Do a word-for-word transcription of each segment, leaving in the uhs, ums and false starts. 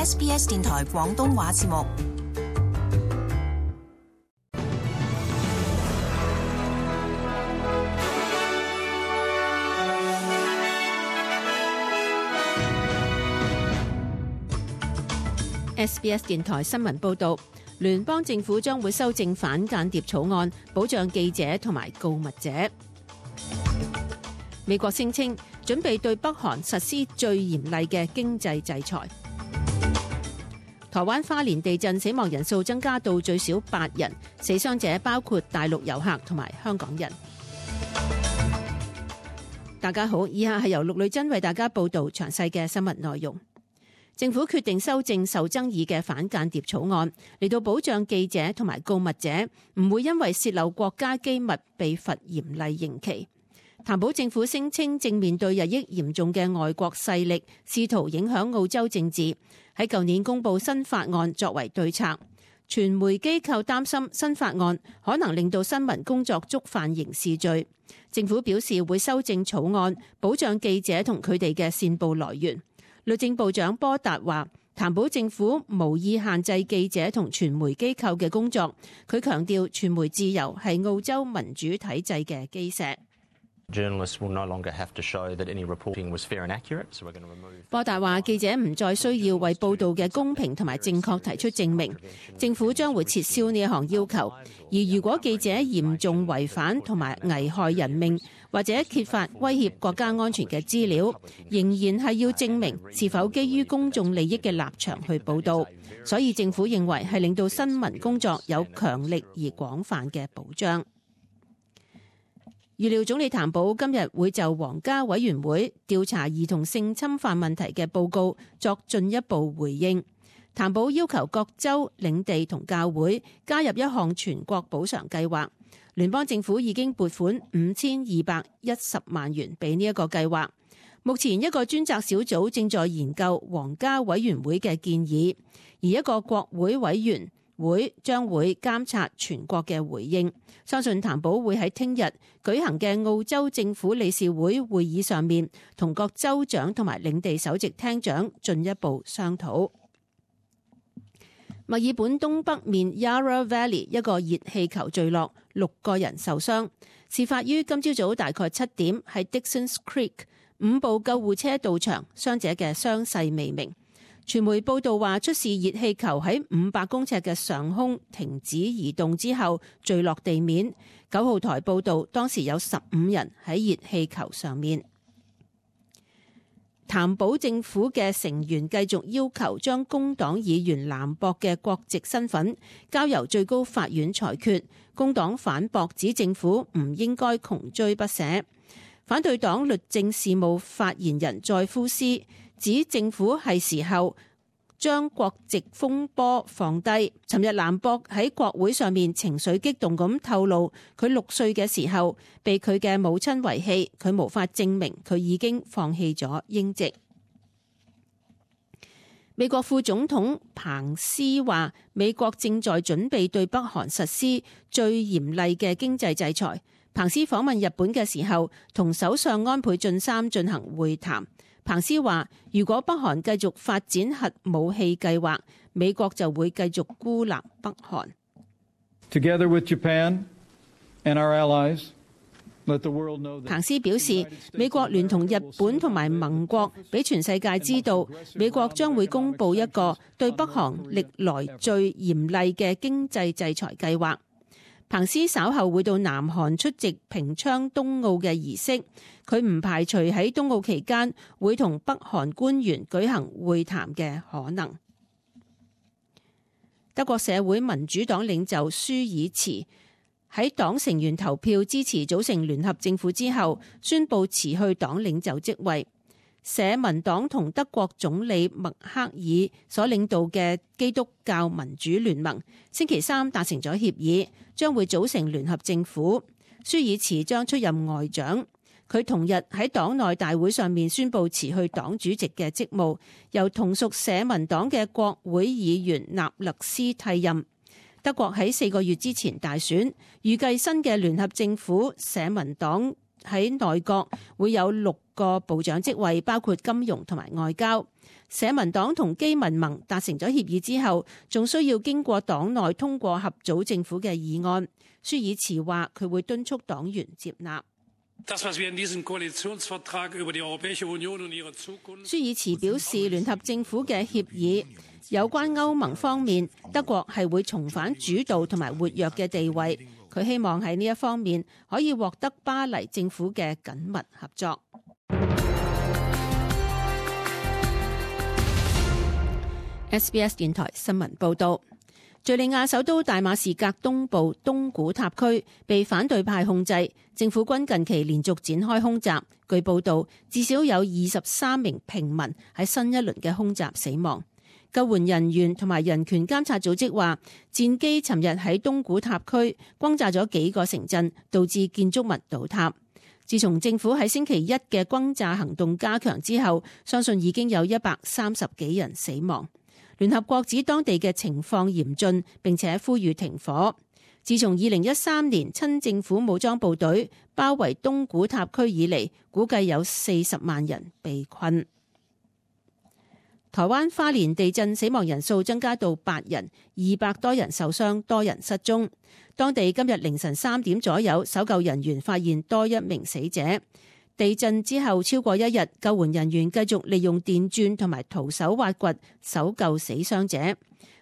S B S 電台廣東話節目。S B S 電台新聞報導，聯邦政府將會修正反間諜草案，保障記者同埋告密者。美國聲稱準備對北韓實施最嚴厲嘅經濟制裁。台灣花蓮地震死亡人數增加到最少八人，死傷者包括大陸遊客同埋香港人。大家好，以下係由陸女珍為大家報導詳細嘅新聞內容。政府決定修正受爭議嘅反間諜草案，嚟到保障記者同埋告密者唔會因為洩漏國家機密被罰嚴厲刑期。譚寶政府聲稱正面對日益嚴重嘅外國勢力試圖影響澳洲政治，喺舊年公布新法案作為對策。傳媒機構擔心新法案可能令到新聞工作觸犯刑事罪。政府表示會修正草案，保障記者同佢哋嘅線報來源。律政部長波達話，譚寶政府無意限制記者同傳媒機構嘅工作。佢強調傳媒自由係澳洲民主體制嘅基石。波達話，記者唔再需要為報道嘅公平同埋正確提出證明，政府將會撤銷呢一項要求。而如果記者嚴重違反同埋危害人命或者揭發威脅國家安全嘅資料，仍然係要證明是否基於公眾利益嘅立場去報道。所以政府認為係令到新聞工作有強力而廣泛嘅保障。預料總理譚寶今日會就皇家委員會調查兒童性侵犯問題嘅報告作進一步回應。譚寶要求各州、領地同教會加入一項全國補償計劃。聯邦政府已經撥款五千二百一十萬元俾呢一個計劃。目前一個專責小組正在研究皇家委員會嘅建議，而一個國會委員會將會監察全國嘅回應。相信譚寶會喺聽日舉行嘅澳洲政府理事會會議上面，同各州長同埋領地首席廳長進一步商討。墨爾本東北面 Yarra Valley 一個熱氣球墜落，六個人受傷。事發於今朝早大概七點，喺 Dixons Creek， 五部救護車到場，傷者嘅傷勢未明。傳媒報道話，出事熱氣球喺五百公尺嘅上空停止移動之後墜落地面。九號台報道，當時有十五人喺熱氣球上面。譚寶政府嘅成員繼續要求將工黨議員蘭博嘅國籍身份交由最高法院裁決。工黨反駁指政府唔應該窮追不捨。反對黨律政事務發言人載夫斯指政府係時候將國籍風波放低。尋日蘭博喺國會上面情緒激動咁透露，佢六歲嘅時候被佢嘅母親遺棄，佢無法證明佢已經放棄咗英籍。美國副總統彭斯話，美國正在準備對北韓實施最嚴厲嘅經濟制裁。彭斯訪問日本嘅時候，同首相安倍晉三進行會談。彭斯話，如果北韓繼續發展核武器計劃，美國就會繼續孤立北韓。Together with Japan and our allies, let the world know that 彭斯表示，美國聯同日本同埋盟國，俾全世界知道，美國將會公布一個對北韓歷來最嚴厲嘅經濟制裁計劃。彭斯稍後會到南韓出席平昌冬奧嘅儀式，佢唔排除喺冬奧期間會同北韓官員舉行會談嘅可能。德國社會民主黨領袖舒爾茨喺黨成員投票支持組成聯合政府之後，宣布辭去黨領袖職位。社民黨同德國總理默克爾所領導嘅基督教民主聯盟星期三達成咗協議，將會組成聯合政府。舒爾茨將出任外長。佢同日喺黨內大會上面宣布辭去黨主席嘅職務，由同屬社民黨嘅國會議員納勒斯替任。德國喺四個月之前大選，預計新嘅聯合政府社民黨喺內閣會有六個部長職位，包括金融同埋外交。社民黨同基民盟達成咗協議之後，仲需要經過黨內通過合組政府嘅議案。舒爾茨話佢會敦促黨員接納。舒爾茨表示，聯合政府嘅協議有關歐盟方面，德國係會重返主導同埋活躍嘅地位。佢希望喺呢一方面可以獲得巴黎政府嘅緊密合作。S B S 電台新聞報道，敘利亞首都大馬士革東部東古塔區被反對派控制，政府軍近期連續展開空襲。據報道，至少有二十三名平民喺新一輪嘅空襲死亡。救援人員同埋人權監察組織話，戰機尋日喺東古塔區轟炸咗幾個城鎮，導致建築物倒塌。自從政府喺星期一嘅轟炸行動加強之後，相信已經有一百三十幾人死亡。聯合國指當地嘅情況嚴峻，並且呼籲停火。自從二零一三年親政府武裝部隊包圍東古塔區以嚟，估計有四十萬人被困。台灣花蓮地震死亡人數增加到八人，二百多人受傷，多人失蹤。當地今日凌晨三點左右，搜救人員發現多一名死者。地震之後超過一日，救援人員繼續利用電鑽同埋徒手挖掘搜救死傷者。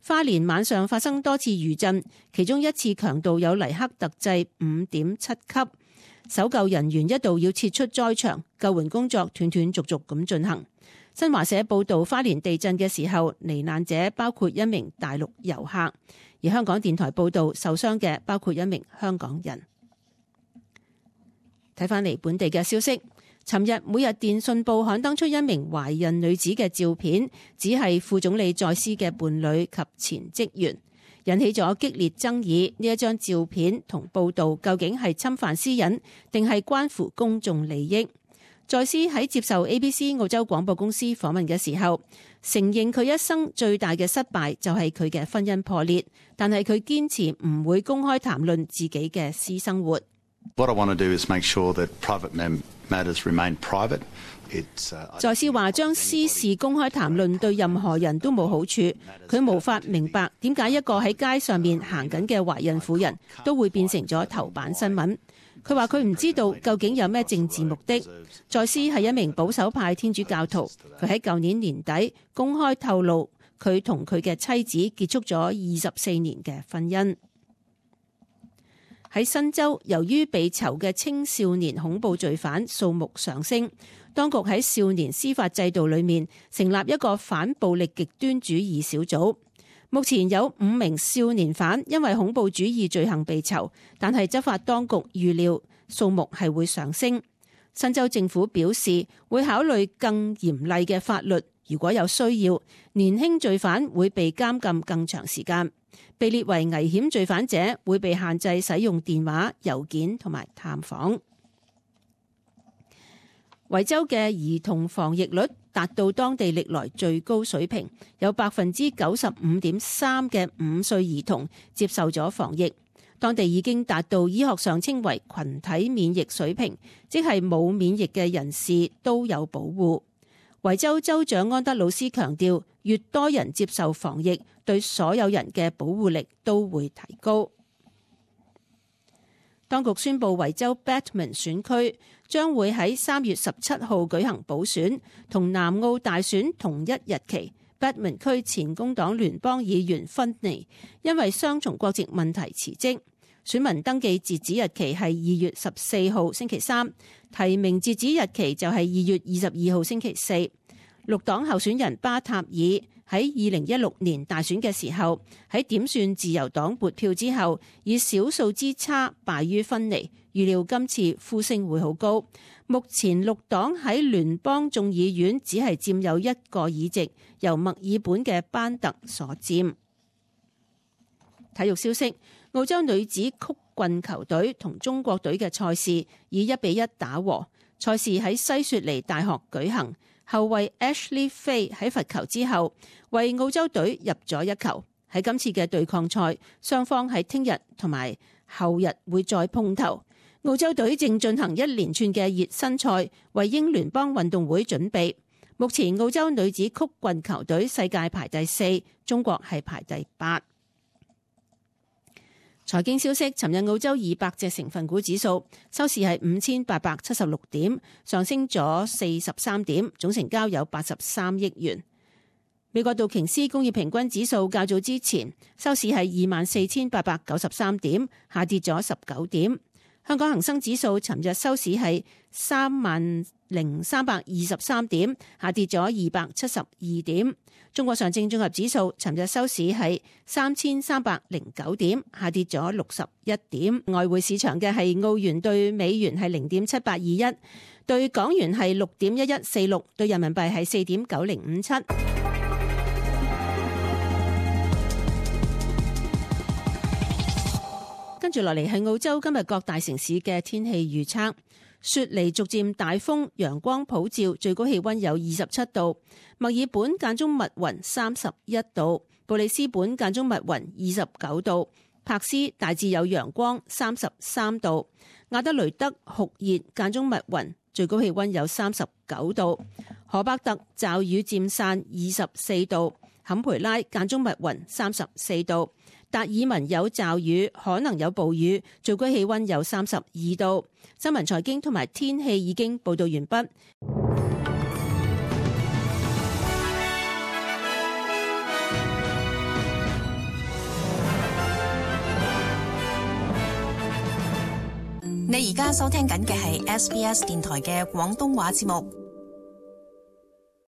花蓮晚上發生多次餘震，其中一次強度有黎克特制五點七級。搜救人員一度要撤出災場，救援工作斷斷續續咁進行。新華社報道，花蓮地震嘅時候，罹難者包括一名大陸遊客，而香港電台報道受傷嘅包括一名香港人。睇返嚟本地嘅消息，尋日每日電訊報刊登出一名懷孕女子嘅照片，只係副總理在斯嘅伴侶及前職員，引起咗激烈爭議。呢一張照片同報道究竟係侵犯私隱，定係關乎公眾利益？在斯喺接受 A B C 澳洲廣播公司訪問嘅時候，承認佢一生最大嘅失敗就係佢嘅婚姻破裂，但係佢堅持唔會公開談論自己嘅私生活。What I want to do is make sure that private matters remain private. It's, uh, 在斯話將私事公開談論對任何人都冇好處，佢無法明白點解一個喺街上面行緊嘅懷孕婦人都會變成咗頭版新聞。佢話佢唔知道究竟有咩政治目的。在斯係一名保守派天主教徒，佢喺舊年年底公開透露佢同佢嘅妻子結束咗二十四年嘅婚姻。喺新州，由於被囚嘅青少年恐怖罪犯數目上升，當局喺少年司法制度裏面成立一個反暴力極端主義小組。目前有五名少年犯因為恐怖主義罪行被囚，但係執法當局預料數目係會上升。新州政府表示會考慮更嚴厲嘅法律，如果有需要，年輕罪犯會被監禁更長時間。被列為危險罪犯者會被限制使用電話、郵件同埋探訪。維州嘅兒童防疫率達到當地歷來最高水平，有百分之九十五點三嘅五歲兒童接受咗防疫。當地已經達到醫學上稱為群體免疫水平，即係冇免疫嘅人士都有保護。維州州長安德魯斯強調，越多人接受防疫，對所有人嘅保護力都會提高。當局宣布維州 Batman 選區將會喺三月十七號舉行補選，同南澳大選同一日期。Batman 區前工黨聯邦議員芬尼因為雙重國籍問題辭職。選民登記截止日期係二月十四號星期三，提名截止日期就係二月二十二號星期四。綠黨候選人巴塔爾喺二零一六年大選嘅時候，喺點算自由黨撥票之後，以少數之差敗於芬尼。預料今次呼聲會好高。目前綠黨喺聯邦眾議院只係佔有一個議席，由墨爾本嘅班特所佔。體育消息，澳洲女子曲棍球隊同中國隊嘅賽事以一比一打和。賽事喺西雪梨大學舉行，後衛 Ashley Fay 喺罰球之後為澳洲隊入咗一球。喺今次嘅對抗賽，雙方喺聽日同埋後日會再碰頭。澳洲隊正進行一連串嘅熱身賽，為英聯邦運動會準備。目前澳洲女子曲棍球隊世界排第四，中國係排第八。財經消息，尋日澳洲二百隻成分股指數收市係五千八百七十六點，上升咗四十三點，總成交有八十三億元。美國道瓊斯工業平均指數較早之前收市係二萬四千八百九十三點，下跌咗十九點。香港恒生指數尋日收市係三萬零三百二十三點，下跌咗二百七十二點。中國上證綜合指數尋日收市係三千三百零九點，下跌咗六十一點。外匯市場嘅係澳元對美元係零點七八二一，對港元係六點一一四六，對人民幣係四點九零五七。跟住落嚟係澳洲今日各大城市嘅天氣預測。雪梨逐漸大風，陽光普照，最高氣溫有二十七度。墨爾本間中密雲，三十一度。布里斯本間中密雲，二十九度。柏斯大致有陽光，三十三度。亞德雷德酷熱，間中密雲，最高氣溫有三十九度。荷伯特驟雨漸散，二十四度。坎培拉間中密雲，三十四度。達爾文有驟雨，可能有暴雨，最高氣溫有三十二度。新聞財經同埋天氣已經報道完畢。你而家收聽緊嘅係 S B S 電台嘅廣東話節目。